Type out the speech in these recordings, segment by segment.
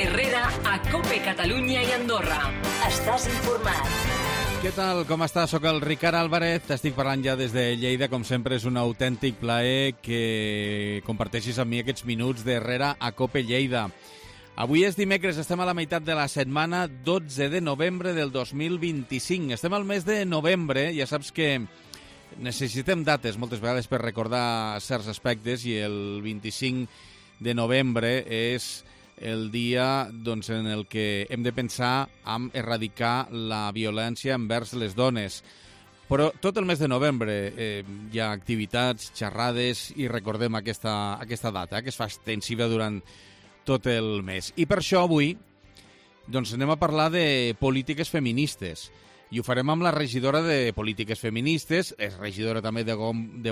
Herrera a COPE Catalunya i Andorra. Estàs informat. Què tal? Com estàs? Soc el Ricard Álvarez, t'estic parlant ja des de Lleida. Com sempre és un autèntic plaer que comparteixis amb mi aquests minuts d'Herrera a COPE Lleida. Avui és dimecres, estem a la meitat de la setmana, 12 de novembre del 2025. Estem al mes de novembre, ja saps que necessitem dates moltes vegades per recordar certs aspectes i el 25 de novembre és el dia en el que hem de pensar en erradicar la violència envers les dones. Però tot el mes de novembre hi ha activitats, xerrades i recordem aquesta data que es fa extensiva durant tot el mes. I per això avui anem a parlar de polítiques feministes. I ho farem amb la regidora de Polítiques Feministes, és regidora també de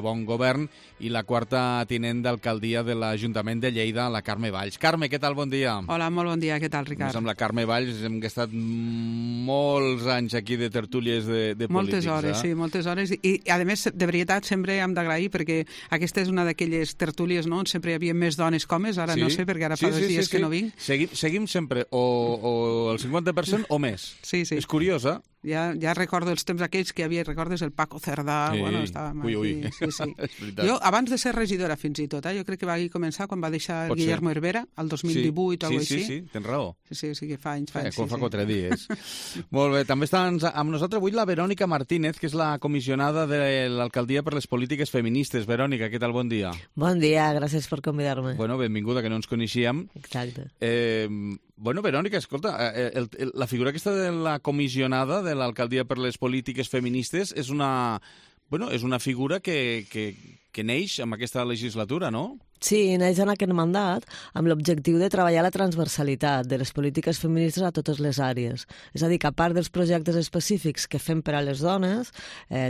Bon Govern i la quarta tinent d'alcaldia de l'Ajuntament de Lleida, la Carme Valls. Carme, què tal? Bon dia. Hola, molt bon dia. Què tal, Ricard? Amb la Carme Valls hem estat molts anys aquí de tertúlies de moltes polítics. Hores, sí, moltes hores. I, a més, de veritat, sempre hem d'agrair perquè aquesta és una d'aquelles tertúlies on sempre hi havia més dones que homes, ara no sé, perquè ara fa 2 dies que no vinc. Seguim sempre o el 50% o més. Sí. És curiós, eh? Ja recordo els temps aquells que hi havia, recordes el Paco Cerdà, estàvem aquí. Ui. Sí. Jo, abans de ser regidora fins i tot, jo crec que va començar quan va deixar el Guillermo Herrera, el 2018 o alguna cosa així. Sí, tens raó. Sí, que fa anys. Com fa 4 dies. Molt bé, també està amb nosaltres avui la Verònica Martínez, que és la comissionada de l'Alcaldia per les Polítiques Feministes. Verònica, què tal? Bon dia. Bon dia, gràcies per convidar-me. Bueno, benvinguda, que no ens coneixíem. Exacte. Bueno, Verònica, escolta, la figura aquesta de la comissionada de l'Alcaldia per les Polítiques Feministes és una figura que neix amb aquesta legislatura, no? Sí, neix en aquest mandat amb l'objectiu de treballar la transversalitat de les polítiques feministes a totes les àrees. És a dir, que a part dels projectes específics que fem per a les dones,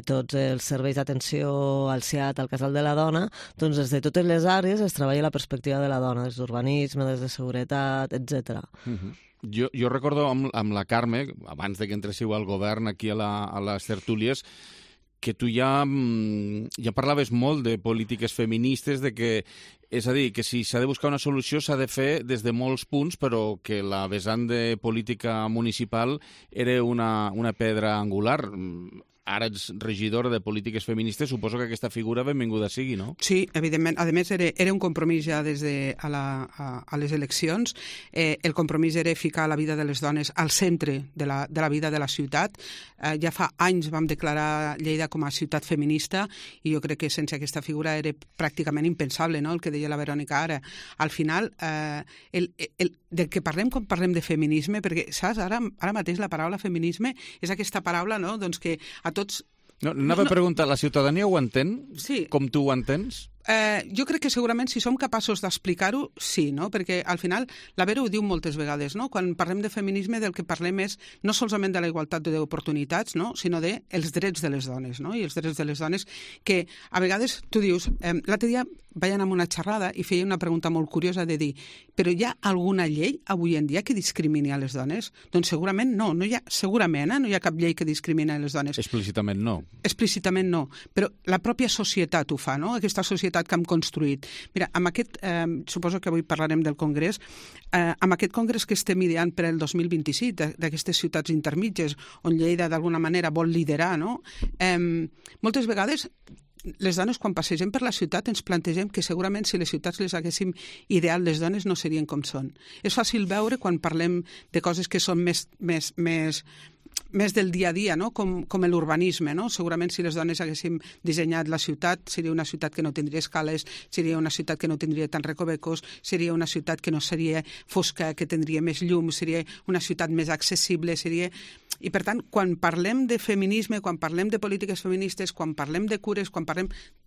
tots els serveis d'atenció al CIAT, al Casal de la Dona, doncs des de totes les àrees es treballa la perspectiva de la dona, des d'urbanisme, des de seguretat, etc. Jo recordo amb la Carme, abans de que entréssiu al govern aquí a les tertúlies, que tu ja parlaves molt de polítiques feministes, és a dir, que si s'ha de buscar una solució s'ha de fer des de molts punts, però que la vessant de política municipal era una pedra angular. Ara ets regidora de Polítiques Feministes, suposo que aquesta figura benvinguda sigui, no? Sí, evidentment. A més, era un compromís ja des de a les eleccions. El compromís era ficar la vida de les dones al centre de la vida de la ciutat. Ja fa anys vam declarar Lleida com a ciutat feminista i jo crec que sense aquesta figura era pràcticament impensable, no?, el que deia la Verònica ara. Al final, del que parlem quan parlem de feminisme, perquè, saps, ara mateix la paraula feminisme és aquesta paraula, no?, doncs que a tots... No, anava a preguntar, la ciutadania ho entén? Sí. Com tu ho entens? Jo crec que segurament si som capaços d'explicar-ho, sí, no? Perquè al final la Vera ho diu moltes vegades, no? Quan parlem de feminisme del que parlem és no solament de la igualtat d'oportunitats, no?, sinó dels drets de les dones, no? I els drets de les dones que a vegades tu dius... L'altre dia vaig anar a una xerrada i feia una pregunta molt curiosa de dir, però hi ha alguna llei avui en dia que discrimini a les dones? Doncs segurament no, no hi ha cap llei que discrimini a les dones. Explícitament no. Explícitament no, però la pròpia societat ho fa, no?, aquesta societat que hem construït. Mira, amb aquest, suposo que avui parlarem del Congrés, amb aquest Congrés que estem ideant per el 2026, d'aquestes ciutats intermitges, on Lleida d'alguna manera vol liderar, no?, moltes vegades les dones, quan passegem per la ciutat, ens plantegem que segurament si les ciutats les haguéssim ideat, les dones no serien com són. És fàcil veure quan parlem de coses que són més del dia a dia, no?, com l'urbanisme, no? Segurament si les dones haguéssim dissenyat la ciutat, seria una ciutat que no tindria escales, seria una ciutat que no tindria tants recovecos, seria una ciutat que no seria fosca, que tindria més llum, seria una ciutat més accessible, seria... I, per tant, quan parlem de feminisme, quan parlem de polítiques feministes, quan parlem de cures,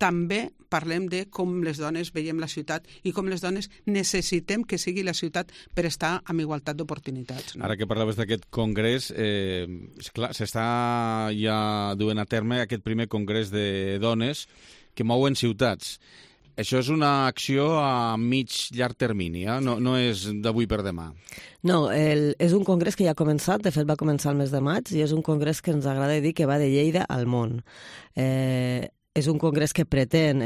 també parlem de com les dones veiem la ciutat i com les dones necessitem que sigui la ciutat per estar amb igualtat d'oportunitats. No? Ara que parlaves d'aquest congrés, esclar, s'està ja duent a terme aquest primer congrés de dones que mouen ciutats. Això és una acció a mig-llarg termini, no és d'avui per demà. No, és un congrés que ja ha començat, de fet va començar el mes de maig, i és un congrés que ens agrada dir que va de Lleida al món. És un congrés que pretén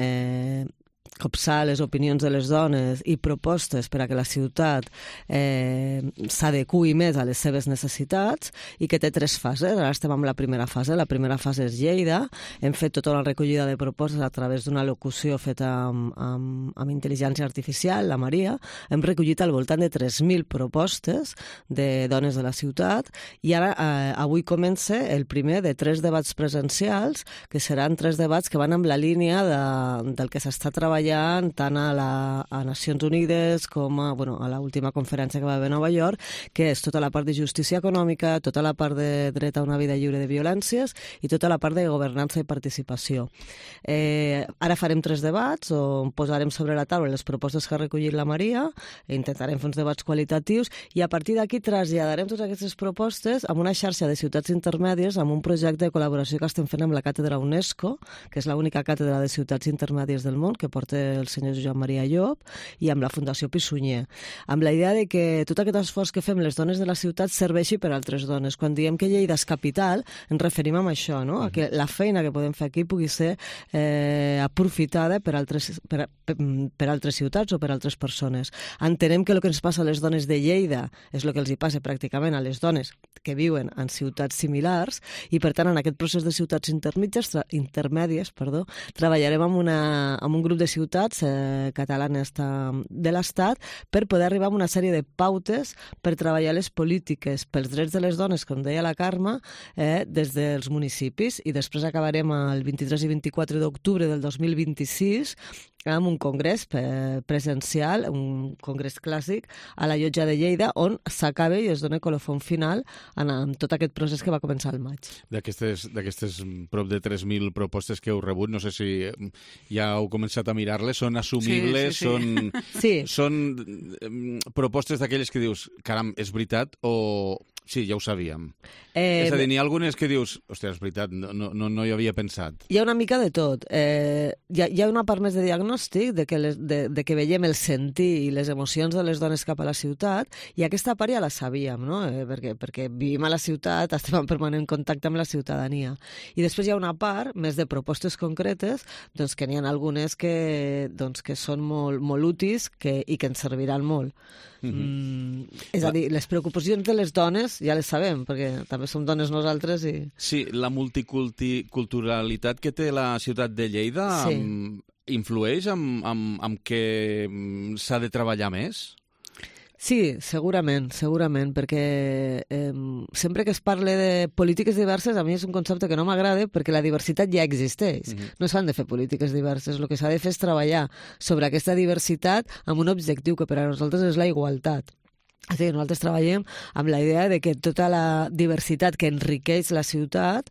copsar les opinions de les dones i propostes per a que la ciutat s'adequi més a les seves necessitats i que té 3 fases. Ara estem en la primera fase. La primera fase és Lleida. Hem fet tota una recollida de propostes a través d'una locució feta amb intel·ligència artificial, la Maria. Hem recollit al voltant de 3.000 propostes de dones de la ciutat i ara avui comença el primer de 3 debats presencials, que seran 3 debats que van amb la línia del que s'està treballant tant a Nacions Unides com a l'última conferència que va haver a Nova York, que és tota la part de justícia econòmica, tota la part de dret a una vida lliure de violències i tota la part de governança i participació. Ara farem 3 debats on posarem sobre la taula les propostes que ha recollit la Maria, intentarem fer uns debats qualitatius i a partir d'aquí traslladarem totes aquestes propostes amb una xarxa de ciutats intermèdies, amb un projecte de col·laboració que estem fent amb la càtedra UNESCO, que és l'única càtedra de ciutats intermèdies del món, que porta el senyor Joan Maria Llop, i amb la Fundació Pi Sunyer, amb la idea de que tot aquest esforç que fem les dones de la ciutat serveixi per a altres dones. Quan diem que Lleida és capital, ens referim a això, no? A que la feina que podem fer aquí pugui ser aprofitada per altres ciutats o per altres persones. Entenem que el que ens passa a les dones de Lleida és el que els hi passa pràcticament a les dones que viuen en ciutats similars i, per tant, en aquest procés de ciutats intermèdies, treballarem amb un grup de ciutats catalanes de l'Estat per poder arribar a una sèrie de pautes per treballar les polítiques pels drets de les dones, com deia la Carme, des dels municipis, i després acabarem el 23 i 24 d'octubre del 2026 amb un congrés presencial, un congrés clàssic, a la Llotja de Lleida, on s'acaba i es dona colofon final amb tot aquest procés que va començar al maig. D'aquestes prop de 3.000 propostes que heu rebut, no sé si ja heu començat a mirar-les, són assumibles, Sí. són propostes d'aquelles que dius, caram, és veritat o... Sí, ja ho sabíem. És a dir, n'hi ha algunes que dius, hòstia, és veritat, no hi havia pensat. Hi ha una mica de tot. Hi ha una part més de diagnòstic, de que veiem el sentir i les emocions de les dones cap a la ciutat, i aquesta part ja la sabíem, no? Perquè vivim a la ciutat, estem en permanent contacte amb la ciutadania. I després hi ha una part més de propostes concretes, doncs que n'hi ha algunes que són molt útils i que ens serviran molt. És a dir, les preocupacions de les dones ja les sabem, perquè també som dones nosaltres i... Sí, la multiculturalitat que té la ciutat de Lleida influeix en què s'ha de treballar més? Sí, segurament, perquè sempre que es parla de polítiques diverses, a mi és un concepte que no m'agrada perquè la diversitat ja existeix. No s'han de fer polítiques diverses, el que s'ha de fer és treballar sobre aquesta diversitat amb un objectiu que per a nosaltres és la igualtat. És a dir, nosaltres treballem amb la idea de que tota la diversitat que enriqueix la ciutat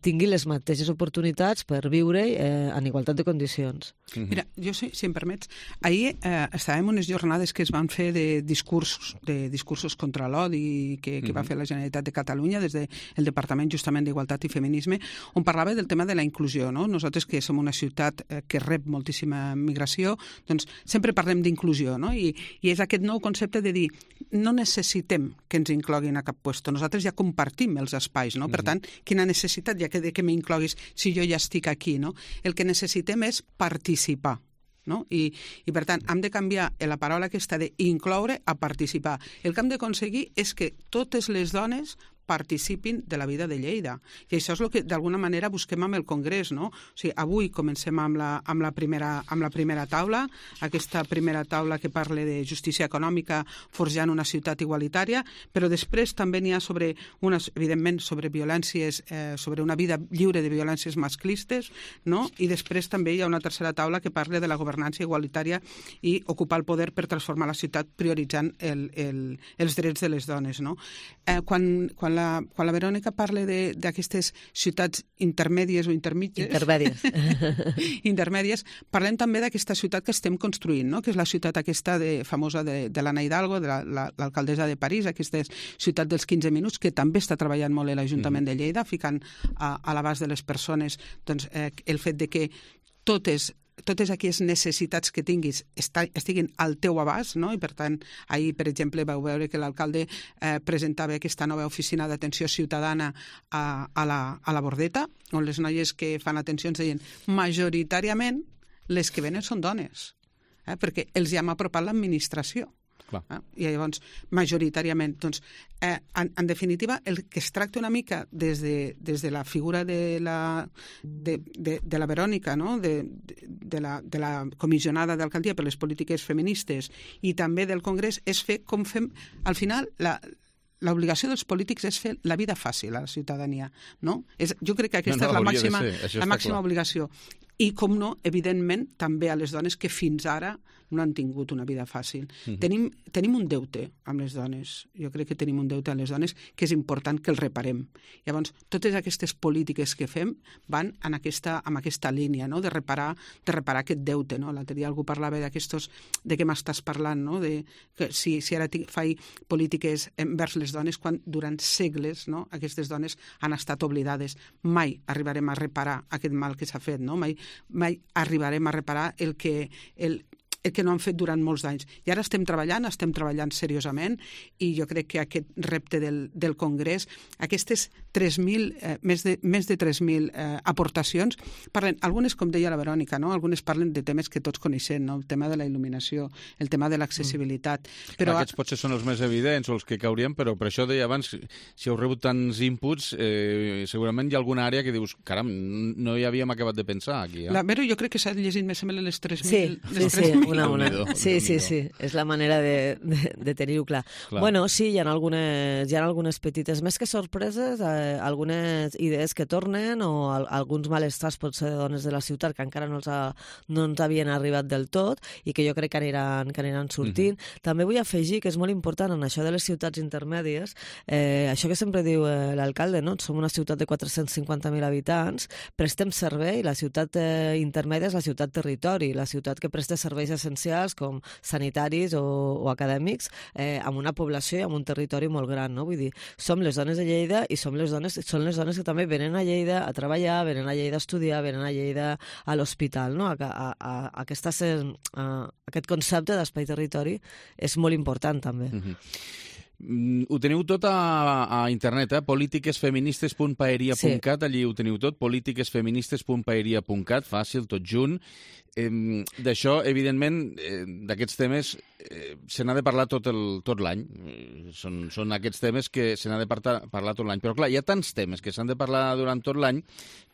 tingui les mateixes oportunitats per viure en igualtat de condicions. Mira, jo, si em permets, ahir estàvem en unes jornades que es van fer de discursos contra l'odi que va fer la Generalitat de Catalunya des del Departament justament d'Igualtat i Feminisme, on parlava del tema de la inclusió, no? Nosaltres, que som una ciutat que rep moltíssima migració, doncs sempre parlem d'inclusió, no? I és aquest nou concepte de dir no necessitem que ens incloguin a cap puesto, nosaltres ja compartim els espais, no? Per tant, quina necessitat hi ha que m'incloguis si jo ja estic aquí, no? El que necessitem és participar, no? I per tant, hem de canviar la paraula aquesta d'incloure a participar. El que hem d'aconseguir és que totes les dones participin de la vida de Lleida. I això és el que d'alguna manera busquem amb el Congrés, no? O sigui, avui comencem amb la primera taula, aquesta primera taula que parla de justícia econòmica forjant una ciutat igualitària, però després també n'hi ha evidentment sobre violències, sobre una vida lliure de violències masclistes, no? I després també hi ha una tercera taula que parla de la governança igualitària i ocupar el poder per transformar la ciutat prioritzant els drets de les dones, no? Quan la Verònica parla d'aquestes ciutats intermèdies o intermèdies, parlem també d'aquesta ciutat que estem construint, no? Que és la ciutat aquesta famosa de l'Anna Hidalgo, de l'alcaldessa de París, aquesta ciutat dels 15 minuts, que també està treballant molt l'Ajuntament de Lleida, ficant a l'abast de les persones doncs, el fet de que totes aquelles necessitats que tinguis estiguin al teu abast, no? I per tant, ahir, per exemple, vau veure que l'alcalde presentava aquesta nova oficina d'atenció ciutadana a la Bordeta, on les noies que fan atenció ens deien majoritàriament les que venen són dones, perquè els hi hem apropat l'administració. I llavors, majoritàriament, doncs, en definitiva, el que es tracta una mica des de la figura de la Verònica, no? de la comissionada d'alcaldia per les polítiques feministes i també del Congrés, és fer com fem, al final, l'obligació dels polítics és fer la vida fàcil a la ciutadania, no? Jo crec que aquesta és la màxima obligació. I, com no, evidentment, també a les dones que fins ara no han tingut una vida fàcil. Tenim un deute amb les dones. Jo crec que tenim un deute amb les dones que és important que el reparem. Llavors, totes aquestes polítiques que fem van en aquesta línia, no? de reparar aquest deute. No? L'altre dia algú parlava de què m'estàs parlant, no? de que si ara faig polítiques envers les dones quan durant segles, no? aquestes dones han estat oblidades. Mai arribarem a reparar aquest mal que s'ha fet, no? Mai arribarem a reparar el que no han fet durant molts anys. I ara estem treballant seriosament, i jo crec que aquest repte del Congrés, aquestes 3.000, més de 3.000 aportacions, parlen, algunes, com deia la Verònica, no? Algunes parlen de temes que tots coneixem, no? El tema de la il·luminació, el tema de l'accessibilitat. Però aquests potser són els més evidents o els que caurien, però per això deia abans, si heu rebut tants inputs, segurament hi ha alguna àrea que dius, caram, no hi havíem acabat de pensar aquí. La Vero, jo crec que s'ha llegit més o menys les 3.000. Sí. Una. Sí. És la manera de tenir-ho clar. Bueno, sí, hi ha algunes petites, més que sorpreses, algunes idees que tornen o alguns malestars potser de dones de la ciutat que encara no ens havien arribat del tot i que jo crec que aniran sortint. També vull afegir que és molt important en això de les ciutats intermèdies, això que sempre diu l'alcalde, no? Som una ciutat de 450.000 habitants, prestem servei, la ciutat intermèdia és la ciutat territori, la ciutat que presta serveis essencials com sanitaris o acadèmics amb una població i amb un territori molt gran, no? Vull dir, som les dones de Lleida i són les dones que també venen a Lleida a treballar, venen a Lleida a estudiar, venen a Lleida a l'hospital, no? Aquest concepte d'espai-territori és molt important també. Ho teniu tot a internet, politiquesfeministes.paeria.cat, allí ho teniu tot, politiquesfeministes.paeria.cat, fàcil, tot junt. D'això, evidentment, d'aquests temes se n'ha de parlar tot l'any. Són aquests temes que se n'ha de parlar tot l'any. Però, clar, hi ha tants temes que s'han de parlar durant tot l'any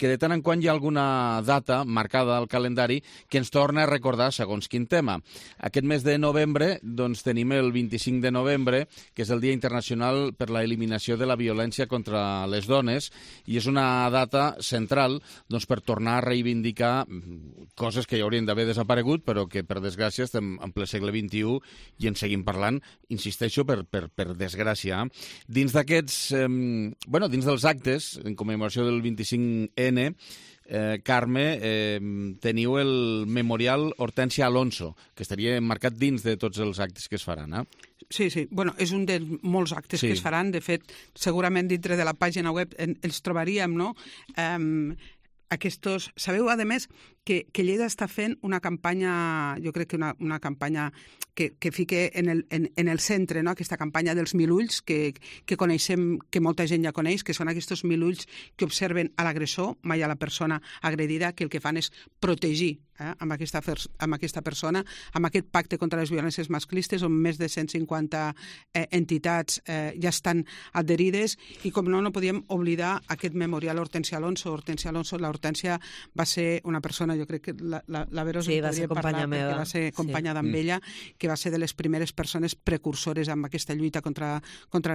que de tant en quant hi ha alguna data marcada al calendari que ens torna a recordar segons quin tema. Aquest mes de novembre doncs, tenim el 25 de novembre, que és el Dia Internacional per la Eliminació de la Violència contra les Dones, i és una data central doncs, per tornar a reivindicar coses que ja haurien d'haver desaparegut, però que, per desgràcia, estem en ple segle XXI i en seguim parlant, insisteixo, per desgràcia. Dins d'aquests, dins dels actes, en commemoració del 25N, Carme, teniu el Memorial Hortència Alonso, que estaria marcat dins de tots els actes que es faran, Sí. Bueno, és un dels molts actes que es faran. De fet, segurament dintre de la pàgina web els trobaríem, no? Sabeu, a més, que Lleida està fent una campanya, jo crec que una campanya que fique en el centre, no? Aquesta campanya dels 1.000 ulls que coneixem, que molta gent ja coneix, que són aquests 1.000 ulls que observen a l'agressor, mai a la persona agredida, que el que fan és protegir amb aquesta persona, amb aquest pacte contra les violències masclistes, on més de 150 entitats ja estan adherides, i com no podíem oblidar aquest memorial Hortència Alonso. L'Hortència va ser una persona, jo crec que la Vero va ser companya meva, va ser companya amb ella, que va ser de les primeres persones precursores amb aquesta lluita contra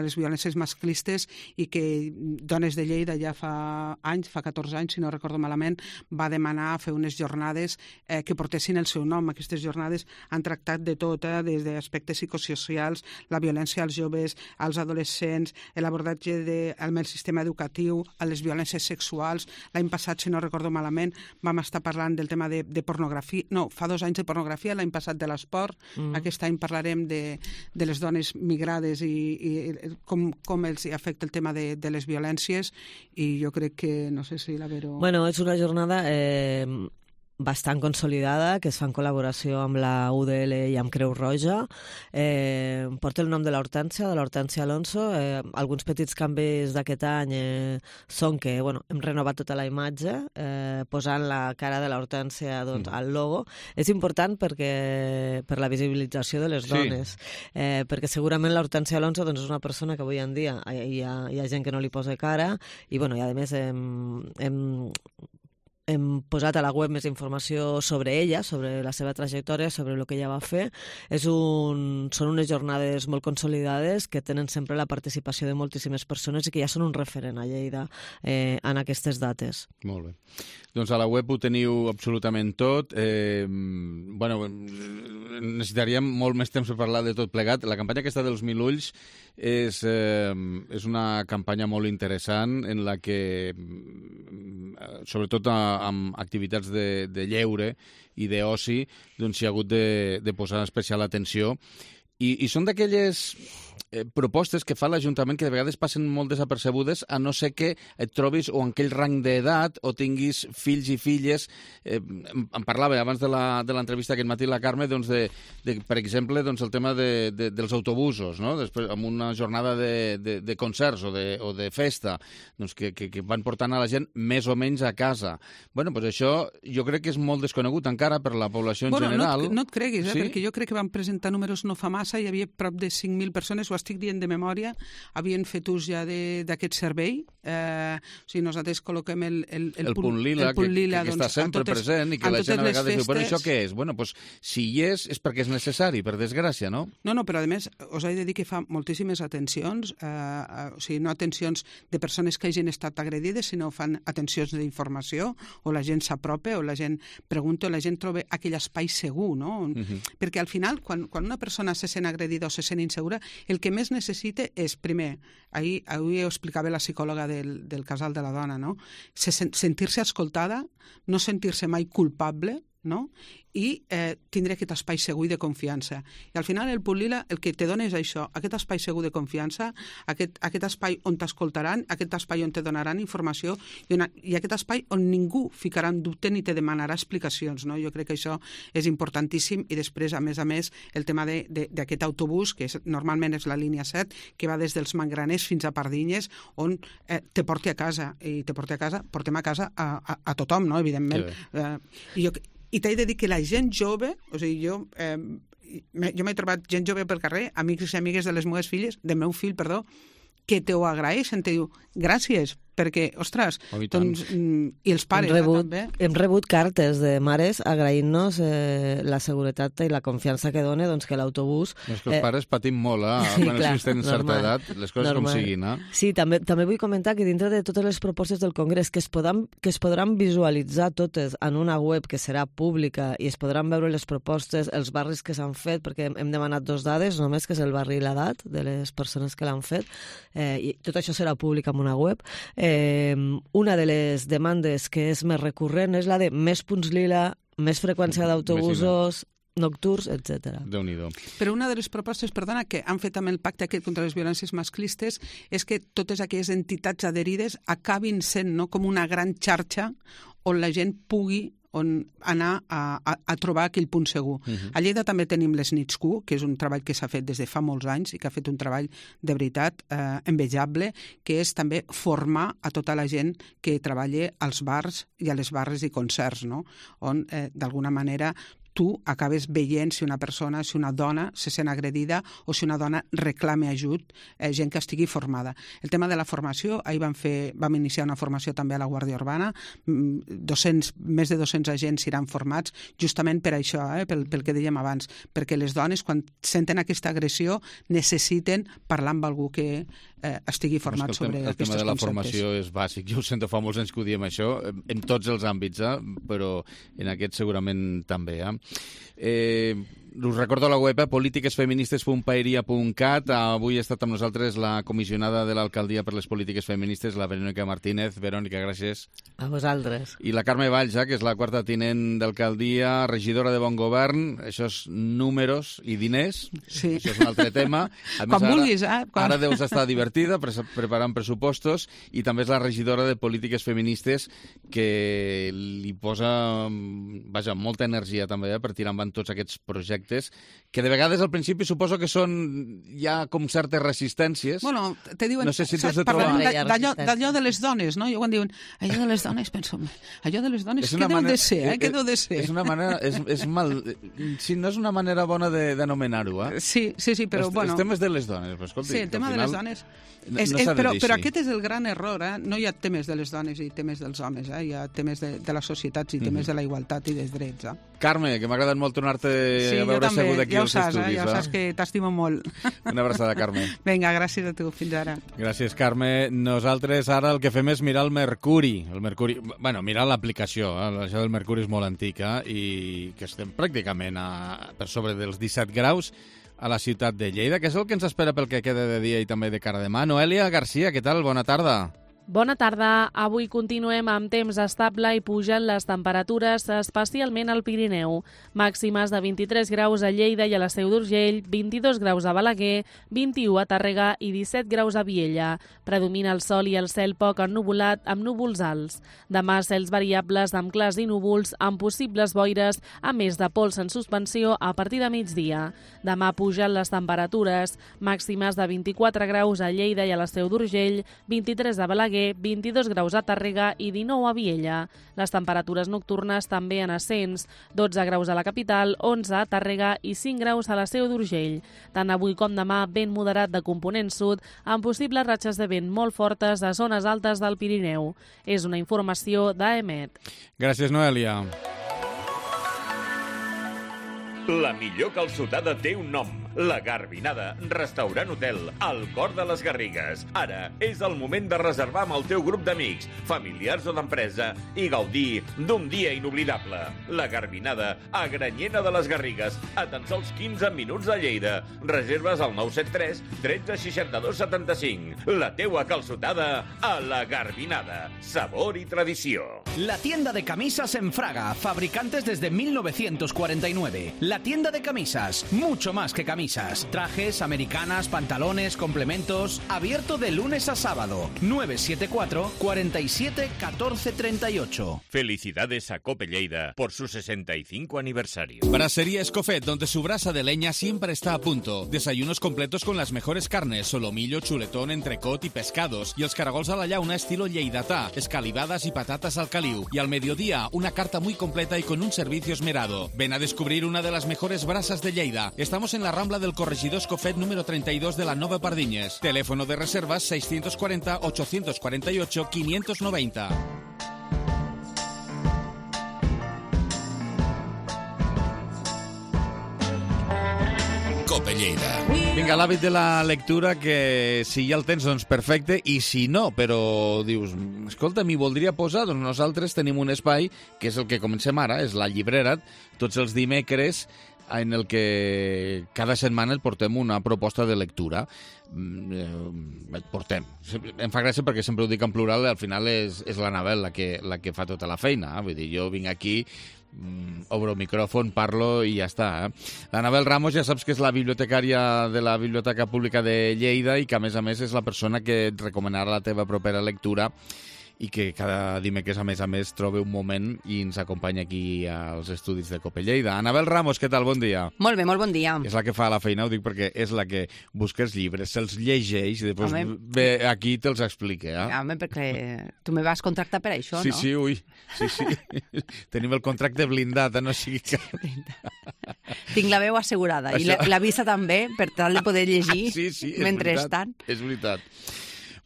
les violències masclistes, i que Dones de Lleida ja fa 14 anys, si no recordo malament, va demanar fer unes jornades que portessin el seu nom. Aquestes jornades han tractat de tot, des d'aspectes psicosocials, la violència als joves, als adolescents, l'abordatge del sistema educatiu, a les violències sexuals. L'any passat, si no recordo malament, vam estar parlant del tema de pornografia. No, fa 2 anys de pornografia, l'any passat de l'esport. Aquest any parlarem de les dones migrades i com els afecta el tema de les violències, i jo crec que, no sé si la Vero... Bueno, és una jornada bastant consolidada, que es fa en col·laboració amb la UDL i amb Creu Roja. Porta el nom de l'Hortència Alonso. Alguns petits canvis d'aquest any són que hem renovat tota la imatge, posant la cara de l'Hortència al logo. És important per la visibilització de les dones, perquè segurament l'Hortència Alonso és una persona que avui en dia hi ha gent que no li posa cara i a més hem posat a la web més informació sobre ella, sobre la seva trajectòria, sobre el que ella va fer. Són unes jornades molt consolidades que tenen sempre la participació de moltíssimes persones i que ja són un referent a Lleida en aquestes dates. Molt bé. Doncs a la web ho teniu absolutament tot. Necessitaríem molt més temps per parlar de tot plegat. La campanya aquesta dels 1.000 ulls és una campanya molt interessant en la que, sobretot amb activitats de lleure i d'oci, doncs s'hi ha hagut de posar especial atenció. I són d'aquelles propostes que fa l'Ajuntament que de vegades passen molt desapercebudes, a no ser que et trobis o en aquell rang d'edat o tinguis fills i filles. Em parlava abans de l'entrevista aquest matí la Carme, per exemple, el tema dels autobusos, no? Després, amb una jornada de concerts o de festa, que van portant a la gent més o menys a casa. Això jo crec que és molt desconegut encara per la població en general. No et creguis, perquè jo crec que van presentar números no fa massa, hi havia prop de 5.000 persones, ho estic dient de memòria, havien fet ús ja d'aquest servei. Nosaltres col·loquem el punt lila, que està sempre present i que la gent a vegades diu, però això què és? Si hi és perquè és necessari, per desgràcia, no? No, però a més us he de dir que fa moltíssimes atencions, no atencions de persones que hagin estat agredides, sinó fan atencions d'informació, o la gent s'apropa, o la gent pregunta, o la gent troba aquell espai segur, no? Perquè al final, quan una persona se sent agredida o se sent insegura, el que més necessita és, primer, ahir ho explicava la psicòloga del casal de la dona, no? Sentir-se escoltada, no sentir-se mai culpable, no? I tindre aquest espai segur i de confiança. I al final el punt lila el que te dona és això, aquest espai segur de confiança, aquest espai on t'escoltaran, aquest espai on te donaran informació i aquest espai on ningú ficarà en dubte ni te demanarà explicacions, no? Jo crec que això és importantíssim i després, a més, el tema d'aquest autobús, que normalment és la línia 7, que va des dels Mangraners fins a Pardinyes, on te porti a casa, i te porti a casa, portem a casa a tothom, no? Evidentment. I t'he de dir que la gent jove, jo m'he trobat gent jove pel carrer, amics i amigues de les meves filles, del meu fill, perdó, que t'ho agraeixen, te diu, gràcies, perquè, ostres, i els pares també. Hem rebut cartes de mares agraint-nos la seguretat i la confiança que dona que l'autobús... És que els pares patim molt, Sí, clar, si tenen certa edat, les coses com siguin. Sí, també vull comentar que dintre de totes les propostes del Congrés que es podran visualitzar totes en una web que serà pública i es podran veure les propostes, els barris que s'han fet, perquè hem demanat 2 dades, només que és el barri i l'edat de les persones que l'han fet, i tot això serà públic en una web. Una de les demandes que és més recurrent és la de més punts lila, més freqüència d'autobusos nocturns, etc. Déu-n'hi-do. Però una de les propostes, perdona, que han fet amb el pacte aquest contra les violències masclistes és que totes aquelles entitats adherides acabin sent com una gran xarxa on la gent pugui anar a trobar aquell punt segur. A Lleida també tenim les nits Q, que és un treball que s'ha fet des de fa molts anys i que ha fet un treball de veritat envejable, que és també formar a tota la gent que treballa als bars i a les barres i concerts, no? On, d'alguna manera, tu acabes veient si una persona, si una dona se sent agredida o si una dona reclama ajut, gent que estigui formada. El tema de la formació, ahir vam iniciar una formació també a la Guàrdia Urbana, més de 200 agents seran formats justament per això, pel que dèiem abans, perquè les dones, quan senten aquesta agressió, necessiten parlar amb algú que estigui format sobre aquests conceptes. El tema de la formació és bàsic. Jo ho sento, fa molts anys que ho diem això, en tots els àmbits, però en aquest segurament també. us recordo la web politiquesfeministes.paeria.cat. Avui ha estat amb nosaltres la comissionada de l'Alcaldia per les Polítiques Feministes, la Verònica Martínez. Verònica, gràcies. A vosaltres. I la Carme Valls, que és la quarta tinent d'alcaldia, regidora de Bon Govern. Això és números i diners. Sí. Això és un altre tema. A més, Quan vulguis, Ara deus estar divertida preparant pressupostos, i també és la regidora de Polítiques Feministes, que li posa molta energia també per tirar endavant tots aquests projectes, que de vegades al principi suposo que són ja com certes resistències. Bueno, te diuen... No sé si t'has de trobar... D'allò de les dones, no? Jo quan diuen allò de les dones, penso, allò de les dones, què deu de ser, Què deu de ser? És una manera... Si no és una manera bona d'anomenar-ho, Sí, però bueno... Els temes de les dones, però escolti... Sí, el tema de les dones... Però aquest és el gran error, No hi ha temes de les dones i temes dels homes, Hi ha temes de la societat i temes de la igualtat i dels drets, Carme, que m'ha agradat molt tornar-te a veure segut aquí als estudis. Ja ho saps, que t'estimo molt. Una abraçada, Carme. Vinga, gràcies a tu. Fins ara. Gràcies, Carme. Nosaltres ara el que fem és mirar el Mercuri. Mirar l'aplicació. Això del Mercuri és molt antic, i que estem pràcticament per sobre dels 17 graus a la ciutat de Lleida, que és el que ens espera pel que queda de dia i també de cara a demà. Noelia Garcia, què tal? Bona tarda. Bona tarda. Avui continuem amb temps estable i pugen les temperatures, especialment al Pirineu. Màximes de 23 graus a Lleida i a la Seu d'Urgell, 22 graus a Balaguer, 21 a Tàrrega i 17 graus a Viella. Predomina el sol i el cel poc ennuvolat amb núvols alts. Demà cels variables amb clars i núvols, amb possibles boires, a més de pols en suspensió a partir de migdia. Demà pugen les temperatures, màximes de 24 graus a Lleida i a la Seu d'Urgell, 23 a Balaguer, 22 graus a Tàrrega i 19 a Viella. Les temperatures nocturnes també en ascens, 12 graus a la capital, 11 a Tàrrega i 5 graus a la Seu d'Urgell. Tant avui com demà, vent moderat de component sud, amb possibles ratxes de vent molt fortes a zones altes del Pirineu. És una informació d'AEMET. Gràcies, Noelia. La millor calçotada té un nom. La Garbinada, restaurant hotel, al cor de les Garrigues. Ara és el moment de reservar amb el teu grup d'amics, familiars o d'empresa i gaudir d'un dia inoblidable. La Garbinada, a Granyena de les Garrigues, a tan sols 15 minuts de Lleida. Reserves al 973 13 62 75. La teua calçotada a La Garbinada. Sabor y tradició. La tienda de camisas en Fraga, fabricantes desde 1949. La tienda de camisas, mucho más que camisas. Trajes, americanas, pantalones, complementos. Abierto de lunes a sábado. 974 47 14 38. Felicidades a Cope Lleida por su 65 aniversario. Brasería Escofet, donde su brasa de leña siempre está a punto. Desayunos completos con las mejores carnes, solomillo, chuletón, entrecot y pescados. Y els caragols a la llauna estilo lleidatà, escalivadas y patatas al caliu. Y al mediodía, una carta muy completa y con un servicio esmerado. Ven a descubrir una de las mejores brasas de Lleida. Estamos en la Rambla del Corregidor Escofet número 32 de la Nova Pardinyes. Teléfono de reservas 640 848 590. Cope Lleida. Vinga, l'hàbit de la lectura, que si ja el tens, doncs perfecte, i si no, però dius, escolta, m'hi voldria posar, doncs nosaltres tenim un espai, que és el que comencem ara, és la llibrera, tots els dimecres, en el que cada setmana et portem una proposta de lectura. Et portem. Em fa gràcia perquè sempre ho dic en plural, al final és l'Anabel la que fa tota la feina. Vull dir, jo vinc aquí, obro el micròfon, parlo i ja està. L'Anabel Ramos ja saps que és la bibliotecària de la Biblioteca Pública de Lleida i que, a més, és la persona que et recomanarà la teva propera lectura i que cada dimecres, a més, troba un moment i ens acompanya aquí als estudis de Cope Lleida. Anabel Ramos, què tal? Bon dia. Molt bé, molt bon dia. És la que fa la feina, ho dic perquè és la que busca els llibres, se'ls llegeix i després ve aquí i te'ls explica. Home, perquè tu me vas contractar per això, sí, no? Sí, ui. Sí. Tenim el contracte blindat, no sigui que... Tinc la veu assegurada i la vista també, per tal de poder llegir mentrestant. És veritat.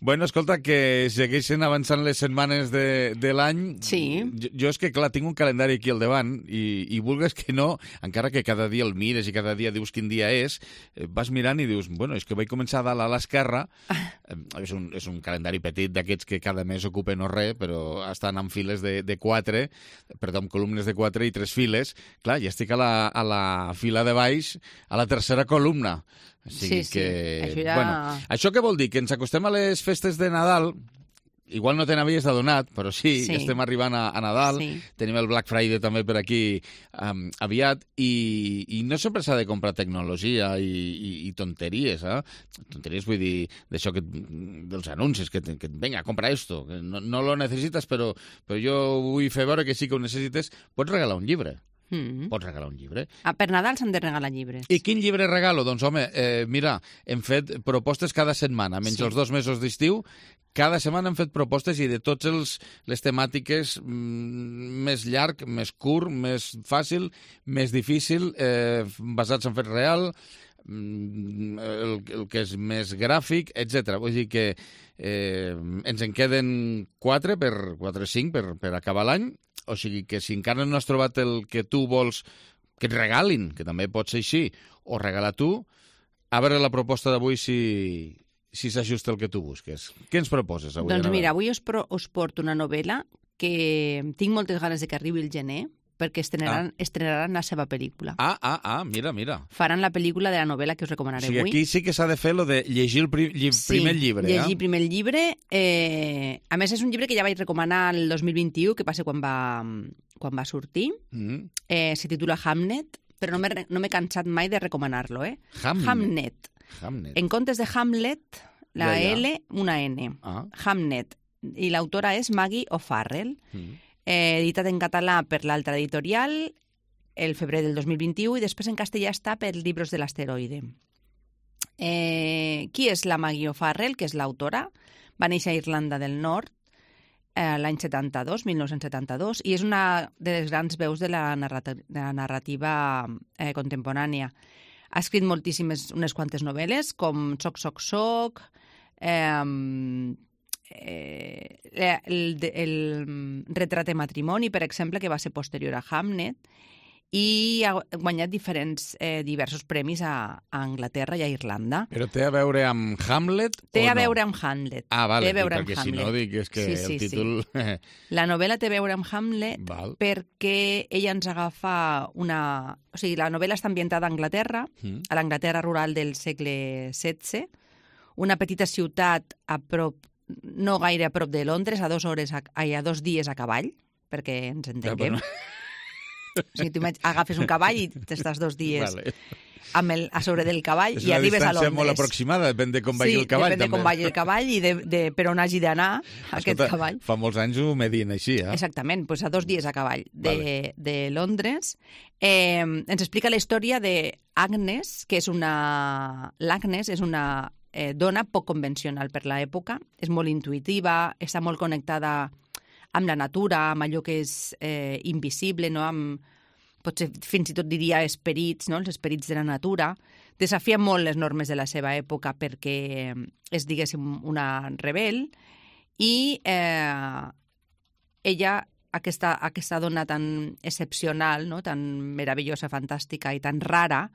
Bueno, escolta, que segueixen avançant les setmanes de l'any. Sí. Jo és que, clar, tinc un calendari aquí al davant i vulgues que no, encara que cada dia el mires i cada dia dius quin dia és, vas mirant i dius, bueno, és que vaig començar a dalt a l'esquerra. És un calendari petit d'aquests que cada mes ocupen o res, però estan en files de 4, perdó, amb columnes de 4 i 3 files. Clar, ja estic a la fila de baix, a la tercera columna. Sí. Això ja... Bueno, això què vol dir? Que ens acostem a les festes de Nadal, igual no te n'havies adonat, però sí, estem arribant a Nadal, tenim el Black Friday també per aquí aviat, i no sempre s'ha de comprar tecnologia i tonteries, tonteries vull dir, d'això dels anuncis, que venga, compra esto, que no lo necessites, però jo vull fer veure que sí que ho necessites, pots regalar un llibre. Pots regalar un llibre. Per Nadal s'han de regalar llibres. I quin llibre regalo? Doncs, home, mira, hem fet propostes cada setmana, menys els 2 mesos d'estiu, cada setmana hem fet propostes i de totes les temàtiques més llarg, més curt, més fàcil, més difícil, basats en fet real, el que és més gràfic, etc. Vull dir que ens en queden 4 o 5 per acabar l'any. O sigui que si encara no has trobat el que tu vols que et regalin, que també pot ser així, o regala tu, a veure la proposta d'avui si s'ajusta el que tu busques. Què ens proposes avui? Doncs mira, avui us porto una novel·la que tinc moltes ganes de que arribi el gener, perquè estrenaran la seva pel·lícula. Mira. Faran la pel·lícula de la novel·la que us recomanaré avui. Aquí sí que s'ha de fer lo de llegir el primer llibre. Sí, llegir primer el llibre. A més, és un llibre que ja vaig recomanar el 2021, que passa quan va sortir. Se titula Hamnet, però no m'he cansat mai de recomanar-lo. Hamnet. En comptes de Hamlet, la L, una N. Hamnet. I l'autora és Maggie O'Farrell. Editat en català per l'Altra Editorial el febrer del 2021 i després en castellà està per Libros de l'Asteroide. Qui és la Maggie O'Farrell, que és l'autora? Va néixer a Irlanda del Nord l'any 1972, i és una de les grans veus de la narrativa contemporània. Ha escrit unes quantes novel·les, com Soc, Soc, Soc, el retrat de matrimoni, per exemple, que va ser posterior a Hamnet, i ha guanyat diversos premis a Anglaterra i a Irlanda. Però té a veure amb Hamlet o no? Té a veure amb Hamlet. Vale, perquè si no dic és que el títol... La novel·la té a veure amb Hamlet perquè ella ens agafa una... O sigui, la novel·la està ambientada a Anglaterra, a l'Anglaterra rural del segle XVI, una petita ciutat a prop, no gaire a prop de Londres, a 2 dies a cavall, perquè ens entenguem. O sigui, tu agafes un cavall i t'estàs 2 dies a sobre del cavall i arribes a Londres. És una distància molt aproximada, depèn de com vagi el cavall. Sí, depèn de com vagi el cavall i de per on hagi d'anar aquest cavall. Fa molts anys ho medien així, Exactament, doncs a 2 dies a cavall de Londres. Ens explica la història d'Agnes, que és l'Agnes és una dona poc convencional per l'època, és molt intuïtiva, està molt connectada amb la natura, amb allò que és invisible, no? Potser fins i tot diria esperits, no? Els esperits de la natura. Desafia molt les normes de la seva època perquè és, diguéssim, una rebel, i ella, aquesta dona tan excepcional, no? Tan meravellosa, fantàstica i tan rara,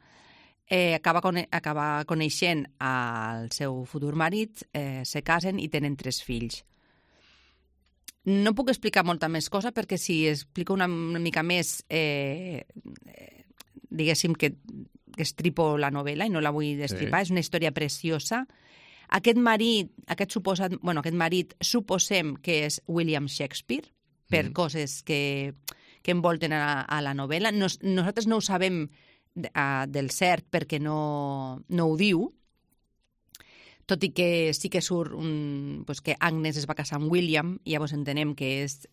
acaba coneixent el seu futur marit, se casen i tenen 3 fills. No puc explicar molta més cosa perquè si explico una mica més, diguéssim que estripo la novel·la i no la vull destripar. És una història preciosa. Aquest marit suposem que és William Shakespeare per coses que envolten a la novel·la. Nosaltres no ho sabem del cert perquè no ho diu, tot i que sí que surt que Agnes es va casar amb William, i llavors entenem que és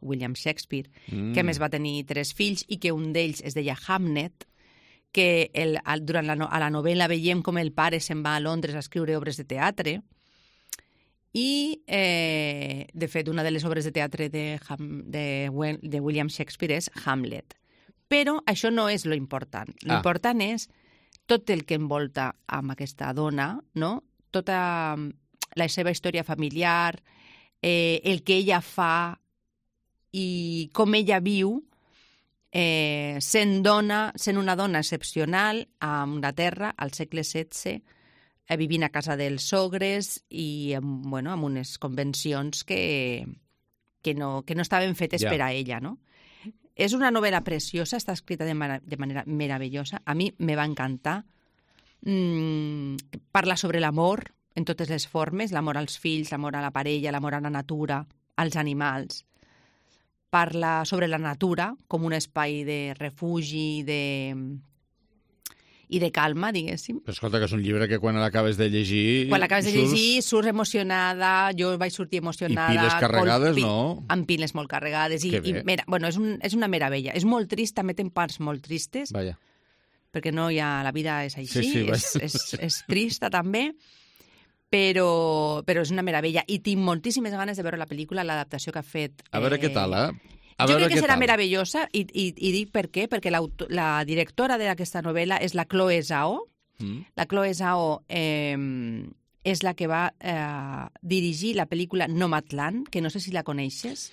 William Shakespeare, que a més va tenir 3 fills i que un d'ells es deia Hamnet, que durant la novel·la veiem com el pare se'n va a Londres a escriure obres de teatre, i de fet una de les obres de teatre de William Shakespeare és Hamlet. Però això no és lo important. L'important és tot el que envolta amb aquesta dona, no? Tota la seva història familiar, el que ella fa i com ella viu sent una dona excepcional a Anglaterra al segle XVI, vivint a casa dels sogres i amb unes convencions que no estaven fetes per a ella, no? És una novel·la preciosa, està escrita de manera meravellosa. A mi me va encantar. Parla sobre l'amor en totes les formes, l'amor als fills, l'amor a la parella, l'amor a la natura, als animals. Parla sobre la natura com un espai de refugi i de calma, diguéssim. Però escolta, que és un llibre que quan l'acabes de llegir... Quan l'acabes de llegir, surts emocionada, jo vaig sortir emocionada... I piles carregades, no? Amb piles molt carregades. És una meravella. És molt trist, també té parts molt tristes. Vaja. Perquè no hi ha... La vida és així, sí, és trista també, però és una meravella. I tinc moltíssimes ganes de veure la pel·lícula, l'adaptació que ha fet... A veure què tal, Jo crec que serà meravellosa i dic per què, perquè la directora d'aquesta novel·la és la Chloe Zhao. La Chloe Zhao és la que va dirigir la pel·lícula Nomadland, que no sé si la coneixes,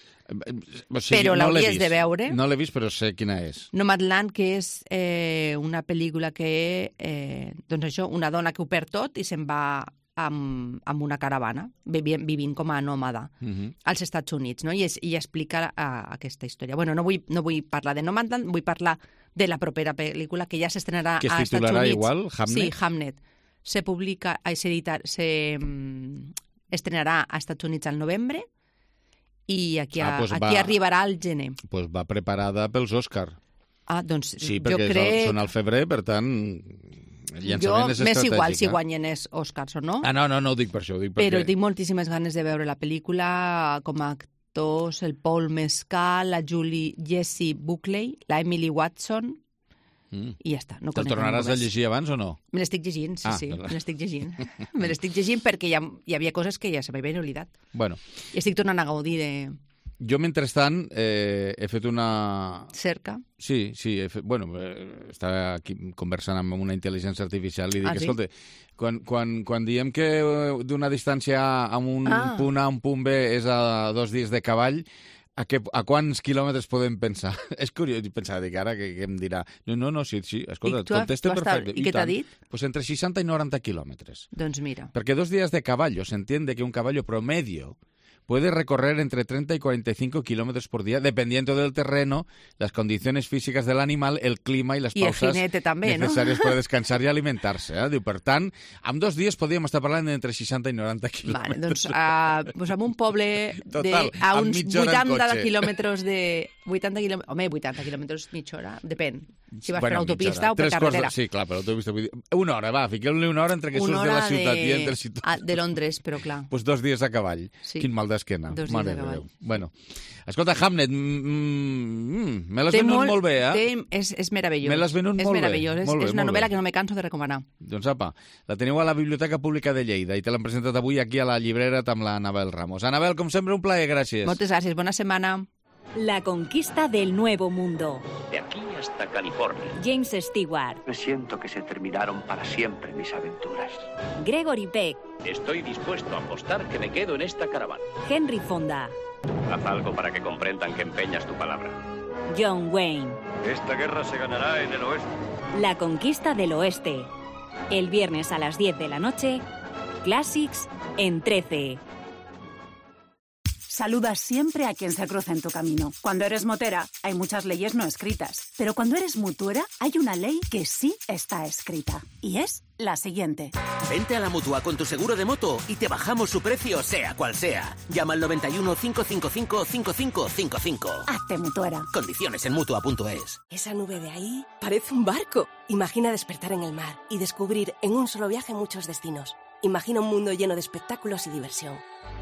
però l'hauries de veure. No l'he vist, però sé quina és. Nomadland, que és una pel·lícula que, una dona que ho perd tot i se'n va amb una caravana, vivint com a nòmada als Estats Units, no? I explica aquesta història. Bueno, no vull parlar de Nomadland, vull parlar de la propera pel·lícula que ja s'estrenarà als Estats Units. Que es titularà igual, Hamnet? Sí, Hamnet. Estrenarà als Estats Units al novembre i aquí arribarà al gener. Doncs va preparada pels Òscar. Doncs sí, perquè són al febrer, per tant... M'és igual si guanyen els Oscars o no. No ho dic per això. Però tinc moltíssimes ganes de veure la pel·lícula com a actors, el Paul Mescal, la Jessie Buckley, la Emily Watson, i ja està. Te'l tornaràs a llegir abans o no? Me l'estic llegint, sí, me l'estic llegint. Me l'estic llegint perquè hi havia coses que ja se m'havien oblidat. Bueno. I estic tornant a gaudir de... Jo, mentrestant, he fet una... Cerca? Sí, estava aquí conversant amb una intel·ligència artificial i dic, escolta, quan diem que d'una distància a un punt A a un punt B és a 2 dies de cavall, a quants quilòmetres podem pensar? És curiós pensar, dic, ara que em dirà... No, sí, escolta, contesta perfecte. I què t'ha dit? Pues entre 60 i 90 quilòmetres. Doncs mira. Perquè 2 días de caballo, se entiende que un caballo promedio puede recorrer entre 30 y 45 kilómetros por día, dependiendo del terreno, las condiciones físicas del animal, el clima y las pausas necessàries per descansar i alimentar-se. Diu, per tant, en 2 dies podríem estar parlant d'entre 60 i 90 quilòmetres. Vale, doncs a un poble a uns 80 quilòmetres de... 80 quilòmetres... Home, 80 quilòmetres, mitja hora, depèn. Si vas per autopista o per carretera. Sí, clar, per autopista. Una hora, fiquem-li una hora entre que surts de la ciutat i entres i tot. De Londres, però clar. Doncs 2 dies a cavall. Quin mal d'esquena. 2 dies a cavall. Bueno, escolta, Hamnet, me l'has venut molt bé, És meravellós. Me l'has venut molt bé. És meravellós. És una novel·la que no me canso de recomanar. Doncs apa, la teniu a la Biblioteca Pública de Lleida i te l'han presentat avui aquí a la llibrera amb la Anabel Ramos. Anabel, com sempre, un plaer, gràcies. Moltes gràcies, bona setmana. La conquista del Nuevo Mundo. De aquí hasta California. James Stewart. Me siento que se terminaron para siempre mis aventuras. Gregory Peck. Estoy dispuesto a apostar que me quedo en esta caravana. Henry Fonda. Haz algo para que comprendan que empeñas tu palabra. John Wayne. Esta guerra se ganará en el oeste. La conquista del oeste. El viernes a las 10 de la noche, Classics en 13. Saluda siempre a quien se cruza en tu camino. Cuando eres motera, hay muchas leyes no escritas. Pero cuando eres mutuera, hay una ley que sí está escrita. Y es la siguiente. Vente a la Mutua con tu seguro de moto y te bajamos su precio, sea cual sea. Llama al 91 555 5555. Hazte mutuera. Condiciones en Mutua.es. Esa nube de ahí parece un barco. Imagina despertar en el mar y descubrir en un solo viaje muchos destinos. Imagina un mundo lleno de espectáculos y diversión.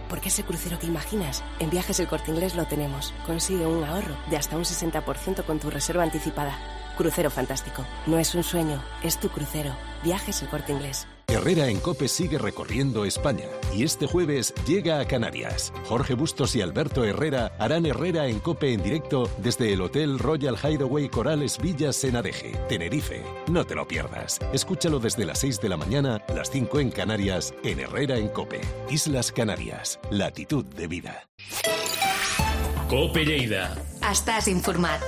Porque ese crucero que imaginas, en Viajes El Corte Inglés lo tenemos. Consigue un ahorro de hasta un 60% con tu reserva anticipada. Crucero Fantástico. No es un sueño, es tu crucero. Viajes El Corte Inglés. Herrera en COPE sigue recorriendo España y este jueves llega a Canarias. Jorge Bustos y Alberto Herrera harán Herrera en COPE en directo desde el Hotel Royal Hideaway Corales Villas Senadeje, Tenerife. No te lo pierdas. Escúchalo desde las 6 de la mañana, las 5 en Canarias, en Herrera en COPE. Islas Canarias, latitud de vida. COPE Lleida. Estàs informat.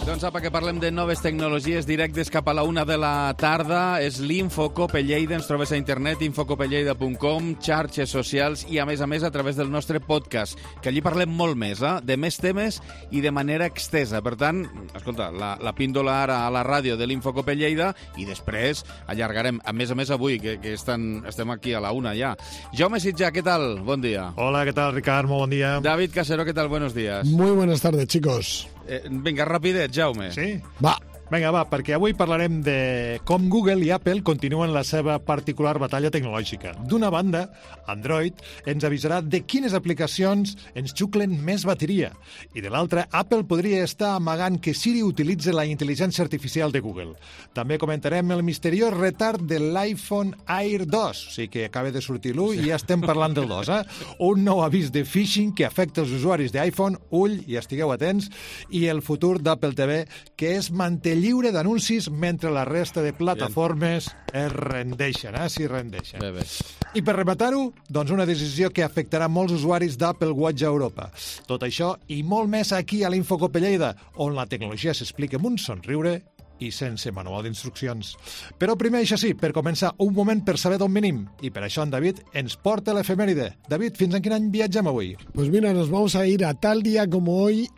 Doncs apa, que parlem de noves tecnologies directes cap a la 1 de la tarda. És l'Info Cope Lleida. Ens trobes a internet, infocopelleida.com, xarxes socials i, a més, a través del nostre podcast, que allí parlem molt més, de més temes i de manera extesa. Per tant, escolta, la píndola ara a la ràdio de l'Info Cope Lleida i després allargarem, a més, avui, que estem aquí a la 1 ja. Jaume Sitjà, què tal? Bon dia. Hola, ¿qué tal, Ricard? Muy buen día. David Casero, ¿qué tal? Buenos días. Muy buenas tardes, chicos. Vinga, rapidet, Jaume. Sí? Va. Vinga, va, perquè avui parlarem de com Google i Apple continuen la seva particular batalla tecnològica. D'una banda, Android ens avisarà de quines aplicacions ens xuclen més bateria. I de l'altra, Apple podria estar amagant que Siri utilitza la intel·ligència artificial de Google. També comentarem el misteriós retard de l'iPhone Air 2, o sigui que acaba de sortir l'1 i ja estem parlant del 2, Un nou avís de phishing que afecta els usuaris d'iPhone, ull, i estigueu atents, i el futur d'Apple TV, que és mantenir lliure d'anuncis mentre la resta de plataformes es rendeixen, s'hi rendeixen. Bé. I per rematar-ho, doncs una decisió que afectarà molts usuaris d'Apple Watch a Europa. Tot això i molt més aquí a l'Info Cope Lleida, on la tecnologia s'explica amb un somriure i sense manual d'instruccions. Però primer, això sí, per començar, un moment per saber d'on venim. I per això en David ens porta l'efemèride. David, fins en quin any viatgem avui? Pues mira, nos vamos a ir a tal día como hoy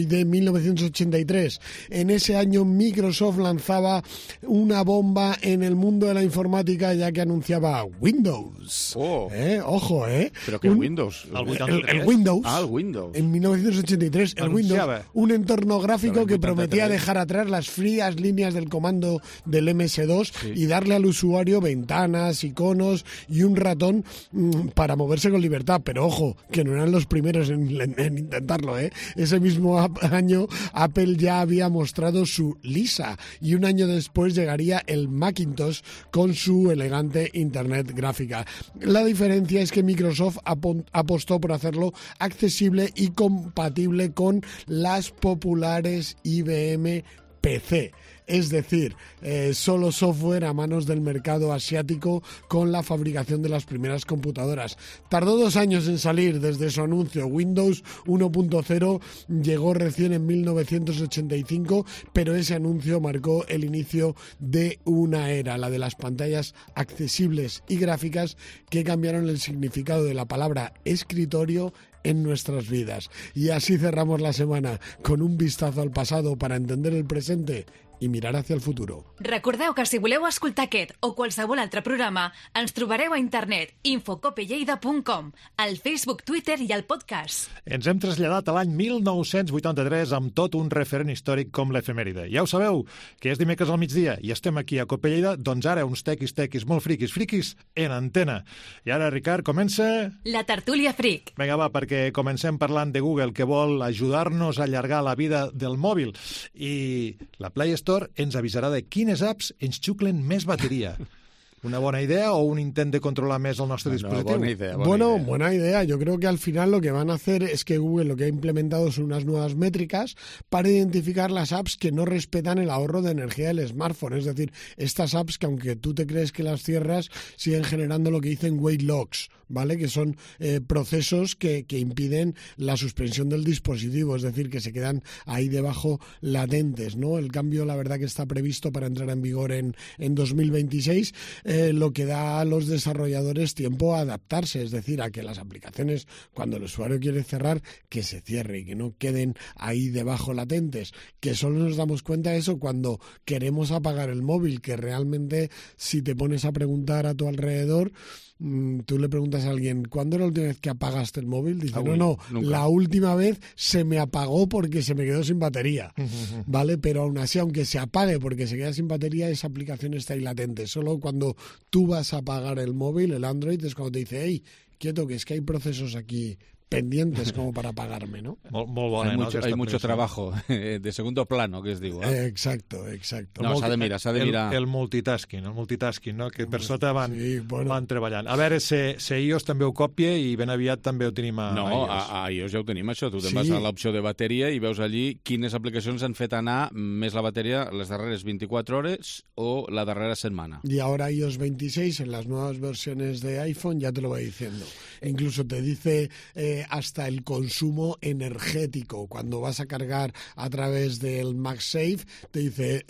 de 1983. En ese año Microsoft lanzaba una bomba en el mundo de la informática, ya que anunciaba Windows. Ojo, ¿Pero qué Windows? El Windows. El Windows. En 1983, el Windows, un entorno gráfico que prometía dejar atrás las frías líneas del comando del MS2 y darle al usuario ventanas, iconos y un ratón para moverse con libertad. Pero ojo, que no eran los primeros en intentarlo, Ese mismo año Apple ya había mostrado su Lisa y un año después llegaría el Macintosh con su elegante Internet gráfica. La diferencia es que Microsoft apostó por hacerlo accesible y compatible con las populares IBM PC. Es decir, solo software a manos del mercado asiático con la fabricación de las primeras computadoras. Tardó 2 años en salir desde su anuncio. Windows 1.0 llegó recién en 1985, pero ese anuncio marcó el inicio de una era, la de las pantallas accesibles y gráficas que cambiaron el significado de la palabra escritorio en nuestras vidas. Y así cerramos la semana con un vistazo al pasado para entender el presente i mirar hacia el futuro. Recordeu que si voleu escoltar aquest o qualsevol altre programa, ens trobareu a internet infocopelleida.com, al Facebook, Twitter i al podcast. Ens hem traslladat a l'any 1983 amb tot un referent històric com l'efemèride. Ja ho sabeu, que és dimecres al migdia i estem aquí a Cope Lleida, doncs ara uns tequis molt friquis en antena. I ara, Ricard, comença... La tertúlia fric. Vinga, va, perquè comencem parlant de Google, que vol ajudar-nos a allargar la vida del mòbil. I la Play Store ens avisarà de quines apps ens xuclen més bateria. ¿Una buena idea o un intento de controlar más el nuestro dispositivo? Buena idea. Yo creo que al final lo que van a hacer es que Google lo que ha implementado son unas nuevas métricas para identificar las apps que no respetan el ahorro de energía del smartphone. Es decir, estas apps que aunque tú te crees que las cierras, siguen generando lo que dicen wait logs, ¿vale? Que son procesos que impiden la suspensión del dispositivo, es decir, que se quedan ahí debajo latentes, ¿no? El cambio, la verdad, que está previsto para entrar en vigor en 2026, lo que da a los desarrolladores tiempo a adaptarse, es decir, a que las aplicaciones, cuando el usuario quiere cerrar, que se cierre y que no queden ahí debajo latentes, que solo nos damos cuenta de eso cuando queremos apagar el móvil, que realmente si te pones a preguntar a tu alrededor, tú le preguntas a alguien, ¿cuándo era la última vez que apagaste el móvil? Dice, no, nunca. La última vez se me apagó porque se me quedó sin batería, ¿vale? Pero aún así, aunque se apague porque se queda sin batería, esa aplicación está ahí latente. Solo cuando tú vas a apagar el móvil, el Android, es cuando te dice, hey, quieto, que es que hay procesos aquí pendientes como para pagarme, ¿no? Molt bona, Hay mucho trabajo de segundo plano, que es diu. Exacto. No, s'ha de mirar. El multitasking, no? Que per sota van treballant. A veure, se iOS també ho copia i ben aviat també ho tenim a iOS. A iOS ja ho tenim, això. Tu te'n vas a l'opció de bateria i veus allí quines aplicacions han fet anar més la bateria les darreres 24 hores o la darrera setmana. Y ahora iOS 26 en las nuevas versiones de iPhone ya te lo va diciendo. Incluso te dice hasta el consumo energético. Cuando vas a cargar a través del MagSafe, te dice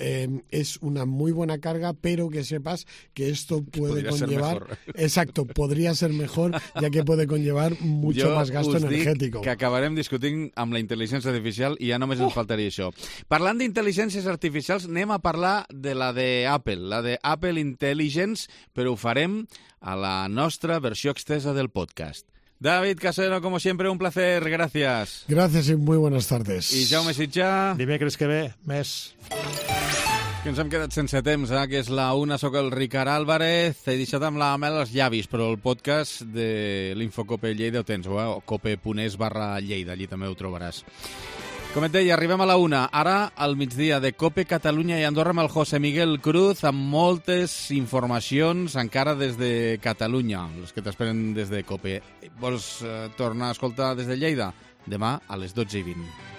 es una muy buena carga, pero que sepas que esto puede conllevar... Exacto, podría ser mejor, ya que puede conllevar mucho más gasto energético. Que acabarem discutint amb la intel·ligència artificial i ja només ens faltaria això. Parlant d'intel·ligències artificials, anem a parlar de la d'Apple, la d'Apple Intelligence, però ho farem a la nostra versió extensa del podcast. David Casero, como siempre, un placer. Gracias. Gracias y muy buenas tardes. I Jaume Sitjà. Dimecres que ve, més. Que ens hem quedat sense temps, que és la una, soc el Ricard Álvarez. He deixat amb la mel als llavis, però el podcast de l'Infocope Lleida ho tens, cope.es/Lleida, allí també ho trobaràs. Com et deia, arribem a la una. Ara, al migdia, de Cope Catalunya i Andorra amb el José Miguel Cruz, amb moltes informacions encara des de Catalunya, les que t'esperen des de Cope. Vols tornar a escoltar des de Lleida? Demà a les 12:20.